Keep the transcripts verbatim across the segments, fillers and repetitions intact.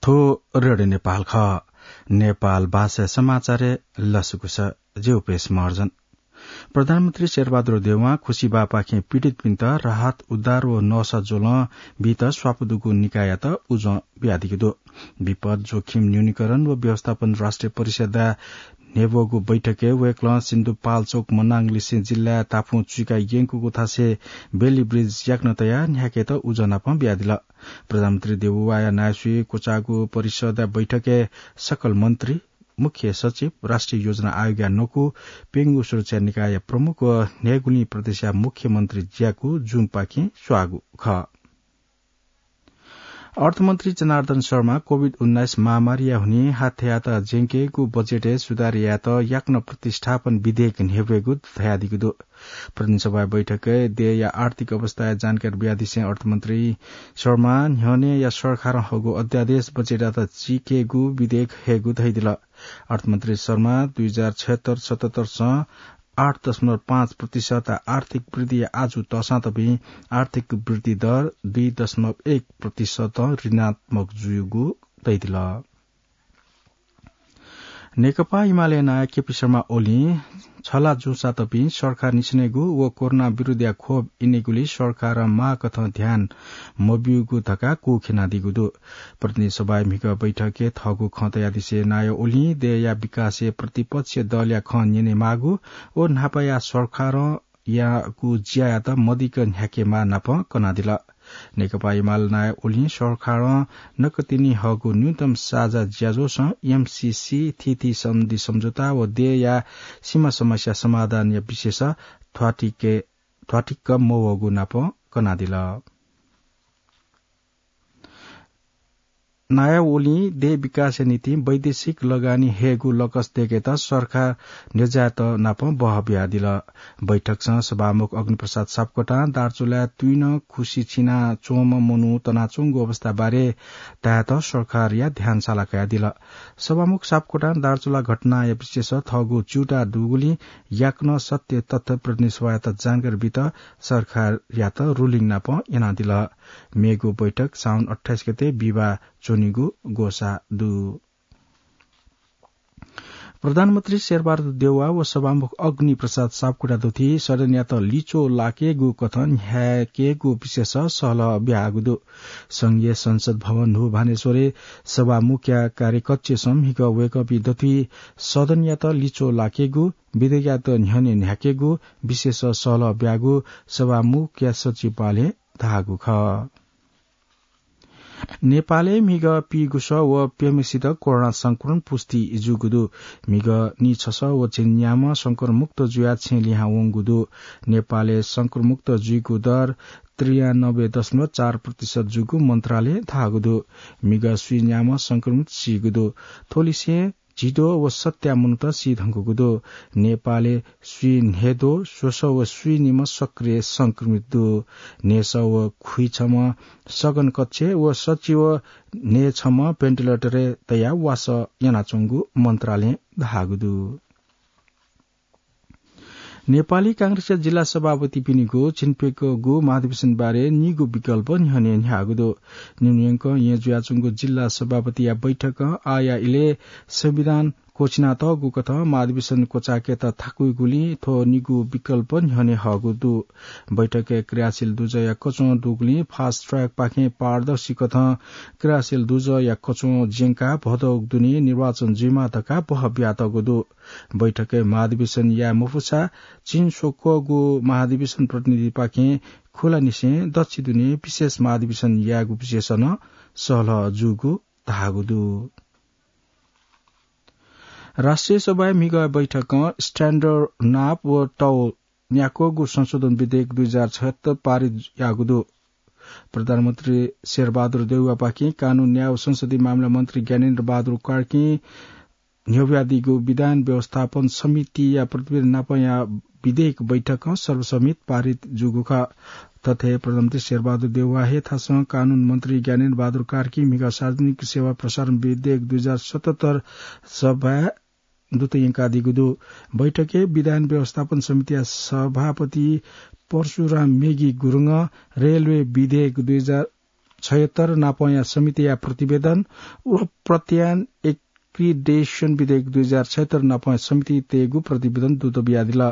थ्व रेडियो नेपाल खः। नेपाल भाषा समाचारय् लसकुस। जि उपेश महर्जन। प्रधानमन्त्री शेरबहादुर देउवां खुसिबापाखें पीडितपिन्त राहत, उद्धार व नसा ज्वलं बीत स्वापू दुगु निकाययात उजं बियादीगु दु। विपद जोखिम न्यूनीकरण व व्यवस्थापन राष्ट्रिय परिषदया न्ह्यब्वःगु बैठकय् वय्कलं सिन्धुपाल्चोक मनाङलिसें जिल्लाया ताफुं चुइका यंकूगु थासय् बेली ब्रिज याकनं तयाः न्ह्याकेत उजं नापं बियादिल। प्रधानमन्त्री देउवाया नायःसुइ क्वचाःगु परिषदया बैठकय् सकल मन्त्री, मुख्य सचिव, राष्ट्रिय योजना आयोगया नकु, प्यंगू सुरक्षा निकायया प्रमुख व न्हय्गुलिं प्रदेशया मुख्यमन्त्री ज्याकू जुङपाखें स्वाःगु खः। अर्थमन्त्री जनार्दन शर्मा कोभिड उन्नाइस महामारीया हुनिं हाथ्यायात ज्यंकेगु बजेटय् सुधार यायेत याकनं प्रतिस्थापन विधेयक न्ह्यब्वयेगु धयादीगु दु। प्रतिनिधि सभाया बैठकय् देय्या आर्थिक अवस्थाया जानकारी बियादिसें अर्थमन्त्री शर्मां न्ह्यःनेया सरकारं हःगु अध्यादेश बजेटयात चिकेगु विधेयक हयेगु धयादिल। अर्थमन्त्री शर्मां दुई हजार छयत्तर सतहत्तरसं आठ दशमलव पाँच प्रतिशत आर्थिक वृद्धिया आजु तःसां तपिं आर्थिक वृद्धि दर दुई दशमलव एक प्रतिशत ऋणात्मक जुइगु धयादिल। नेकपा एमाले नायः केपी शर्मा ओलीं छला जूसां तपिं सरकार निसेनेगु व कोरोना विरुद्धया खोप इनेगुली सरकारं माःकथं ध्यान मब्यूगु धकाः कुःखेनादीगु दु। प्रतिनिधि सभाय् म्हिगः बैठकय् थःगु खँ तयादिसें नायः ओलीं देय्या विकासय् प्रतिपक्षीय दलया खँ न्यनेमाःगु व न्हापाया सरकारं याःगु ज्यायात मदिक्क न्ह्याकेमाः नापं कनादिल। नेकपा एमाले नायः ओलीं सरकारं नकतिनि हःगु न्यूनतम साझा ज्याझ्वलय् एमसीसी, थीथी सन्धि सम्झौता व देय्या सीमा समस्या समाधानया विषयय् थ्वातिके, थ्वातिक्क मवःगु नापं कनादिल। नायः ओलीं देय् विकासया निंतिं वैदेशिक लगानी हयेगु लकस दय्केत सरकार न्ह्यज्याःत नापं बहः बियादिल। बैठकसं सभामुख अग्निप्रसाद सापकोटां दार्चुलाय् तुइनं खुसि चिनाच्वंम्ह मनू तनाच्वंगु अवस्था बारे धायेत सरकारया ध्यान साला कयादिल। सभामुख सापकोटां दार्चुला घटनाया विषयय् थःगु च्यूताः दुगुलिं याकनं सत्य तथ्य प्रतिनिधि सभायात जानकारी बीत सरकारयात रुलिङ नापं यानादिल। मेगु बैठक साउन अट्ठाइस गते बिहिबाः च्वनीगु ग्वसाः दु। प्रधानमन्त्री शेरबहादुर देउवा व सभामुख अग्निप्रसाद सापकोटा दुथि सदनयात लिच्वः लाकेगु कथं न्ह्याकेगु विषयय् सहलह बियागु दु। संघीय संसद भवन न्हू भानेश्वरय् सभामुखया कार्यकक्षय् म्हिगः वय्कःपिं दथुइ सदनयात लिच्वः लाकेगु, विधेयकयात न्ह्यःने न्ह्याकेगु विषयय् सहलह बियागु सभामुखया सचिवालयं धाःगु खः। नेपालय् म्हिगः पीगुसः व प्यम्हेसित कोरोना संक्रमण पुष्टि जूगु दु। म्हिगः निछसः व झिंन्याम्ह संक्रमणमुक्त जुयाः छेँ लिहां वंगु दु। नेपालय् संक्रमणमुक्त जुइगु दर त्रियानब्बे दशमलव चार प्रतिशत जूगु मन्त्रालयं धाःगु दु। म्हिगः स्वीन्याम्ह संक्रमित सीगु दु। थ्वलिसें झिद्वः व सत्या मनूत सी धुंकूगु दु। नेपालय् स्वीन्हय्द्वः, स्वसः व स्वीनिम्ह सक्रिय संक्रमित दु। न्हय्सः व खुइछम्ह सघन कक्षय् व सच्छि व न्हय्छम्ह भेन्टिलेटरय् तयाः वासः यानाच्वंगु मन्त्रालयं धाःगु दु। नेपाली कांग्रेसया जिल्ला सभापतिपिनिगु झिंप्यंकःगु महाधिवेशन बारे निगू विकल्प न्ह्यःने न्ह्याःगु दु। निम्हय्कं येँ जुयाच्वंगु जिल्ला सभापतिया बैठकं आःया इलय् संविधान क्वःछिनातःगु कथं महाधिवेशन क्वचायेकेत थाकुइगुलिं थ्व निगू विकल्प न्ह्यःने हःगु दु। बैठकय् क्रियाशील दुजःया कच्वं दुगुलिं fast track पाखें पारदर्शी कथं क्रियाशील दुजःया कच्वं ज्यंकाः भदौ दुने निर्वाचन जुइमाः धकाः बहः बियातःगु दु। बैठकय् महाधिवेशन याये मफुसा झिंस्वक्वःगु महाधिवेशन प्रतिनिधिपाखें खुलानिसें दच्छि दुने विशेष महाधिवेशन यायेगु विषयय् नं सहलह जूगु धाःगु दु। राष्ट्रिय सभाया म्हिगः बैठकं standard नाप व तौल न्याक्वःगु संशोधन विधेयक दुई हजार छयत्तर पारित याःगु दु। प्रधानमन्त्री शेरबहादुर देउवापाखें कानून, न्याय व संसदीय मामिला मन्त्री ज्ञानेन्द्र बहादुर कार्कीं न्ह्यब्वयादीगु विधान व्यवस्थापन समितिया प्रतिवेदन नापंया विधेयक बैठकं सर्वसम्मत पारित जूगु खः। थथे प्रधानमन्त्री शेरबहादुर देउवा हे थासं कानून मन्त्री ज्ञानेन्द्र बहादुर कार्कीं म्हिगः सार्वजनिक सेवा प्रसारण विधेयक दुई हजार सतहत्तर सभाय् दूत यंकादीगु दु। बैठकय् विधान व्यवस्थापन समितिया सभापति परशुराम मेगी गुरुङं रेलवे विधेयक दुई हजार छयत्तर नापंया समितिया प्रतिवेदन व प्रत्यान एक्रिडेशन विधेयक दुई हजार छयत्तर नापंया समिति तयेगु प्रतिवेदन दूत बियादिल।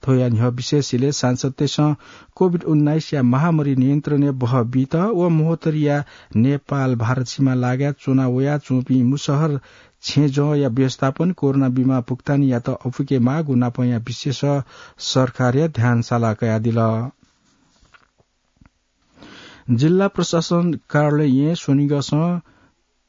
थ्वया न्ह्यः विशेष इलय् सांसदतय्सं कोभिड उन्नाइसया महामारी नियन्त्रणय् बहः बीत व महोत्तरीया नेपाल भारत सीमा लागाय् च्वना वया च्वंपिं मुसहर छेँजःया व्यवस्थापन, कोरोना बिमा भुक्तानीयात अपुके माःगु नापंया विषयस सरकारया ध्यान साला कयादिल। जिल्ला प्रशासन कार्यालयं स्वनिगःसं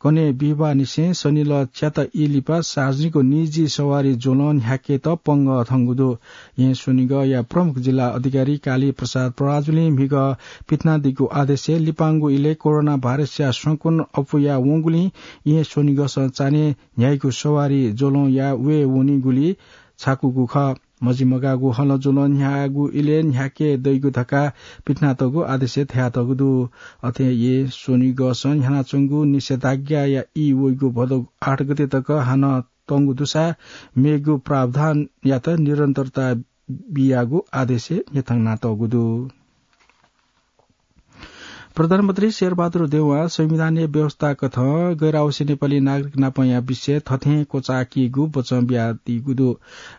कन्हय् बिहिबाःनिसें सनिलः च्याता ई लिपा सार्वजनिक निजी सवारी ज्वलं न्ह्याकेत पंगः थंगु दु। यें स्वनिगःया प्रमुख जिल्ला अधिकारी काली प्रसाद पराजुलिं म्हिगः पिथनादीगु आदेशय् लिपांगु इलय् कोरोना भाइरसया संक्रमण अप्वया वंगुलिं यें स्वनिगःसं चान्हय् न्ह्याइगु सवारी ज्वलंया वये वनीगुली छाकूगु खः। मजिमगाःगु हलं ज्वलं न्ह्याःगु इलय् न्ह्याके दइगु धकाः पिथनातःगु आदेशय् धयातःगु दु। अथे यें स्वनिगःसं न्ह्यानाच्वंगु निषेधाज्ञाया ई वइगु भदौ आठ गते तक हानं तंगु दुसा मेगु प्रावधानयात निरन्तरता बियागु आदेशय् न्ह्यथनातःगु दु। प्रधानमन्त्री शेरबहादुर देउवां संविधानया व्यवस्था कथं गैर आवासीय नेपाली नागरिक नापंया विषय थथें क्वचाकीगु बचं बियादीगु दु।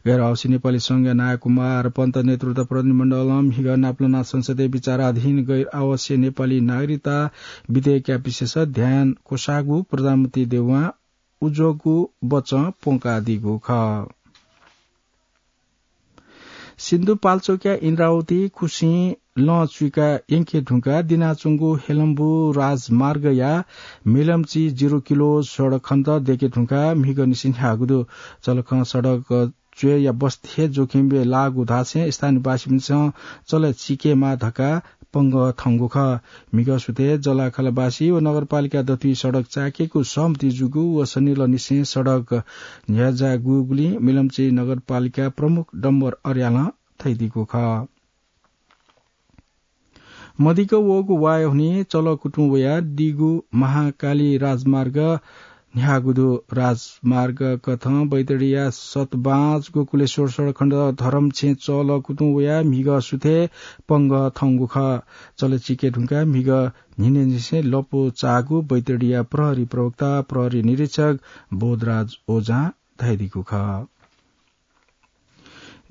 गैर आवासीय नेपाली संघया नायः कुमार पन्त नेतृत्व प्रतिनिधिमण्डलं म्हिगः नापलाना संसदय् विचाराधीन गैर आवासीय नेपाली नागरिकता विधेयकया विषयस ध्यान क्वसाःगु प्रधानमन्त्री देउवां उज्वःगु बचं प्वंकादीगु खः। सिन्धुपाल्चोकया इन्द्रावती खुसिं लं चुइका यंके धुंकाः दिनाच्वंगु हेलम्बु राजमार्गया मिलम्ची जिरो किलो सडक खण्ड दयेके धुंकाः म्हिगः निसें न्ह्याःगु दु। चलखं सडक च्वय्या बस्ती हे जोखिमय् लाःगु धासें स्थानीयवासीपिन्सं चले चिकेमाः धकाः पंगः थंगु खः। म्हिगः सुथय् जलाखलवासी व नगरपालिका दथुइ सडक चाय्केगु सहमति जूगु व सनिलः निसें सडक न्ह्याज्याःगुगुलिं मिलम्ची नगरपालिका प्रमुख डम्बर अर्यालं धयादीगु खः। मदिक्क वःगु वाय् हुनिं चलकुतुं वयाः दीगु महाकाली राजमार्ग न्ह्याःगु दु। राजमार्ग कथं बैतडीया सतबाँझ गोकुलेश्वर सडक खण्ड धरमछेँ चलकुतुं वयाः म्हिगः सुथय् पंगः थंगु खः। चले चिके धुंकाः म्हिगः न्हिनेनिसें लँपु चाःगु बैतडीया प्रहरी प्रवक्ता प्रहरी निरीक्षक बोधराज ओझां धयादीगु खः।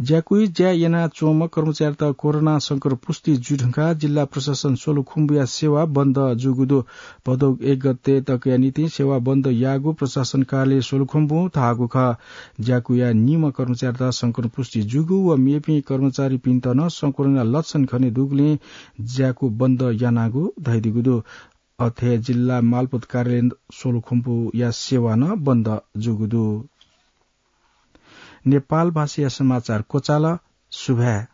ज्याकुइ ज्या यानाच्वंम्ह कर्मचारीत कोरोना संक्रमण पुष्टि जुइ धुंकाः जिल्ला प्रशासन सोलुखुम्बुया सेवा बन्द जूगु दु। भदौ एक गते तकया निंतिं सेवा बन्द याःगु प्रशासन कार्यालय सोलुखुम्बुं धाःगु खः। ज्याकुया निम्ह कर्मचारीत संक्रमण पुष्टि जूगु व मेपिं कर्मचारीपिन्त नं संक्रमणया लक्षण खने दुगुलिं ज्याकु बन्द यानागु धयादीगु दु। अथे जिल्ला मालपोत कार्यालय सोलुखुम्बुया सेवा नं बन्द जूगु दु। नेपाल भाषाया समाचार क्वचाल। सुभाय्।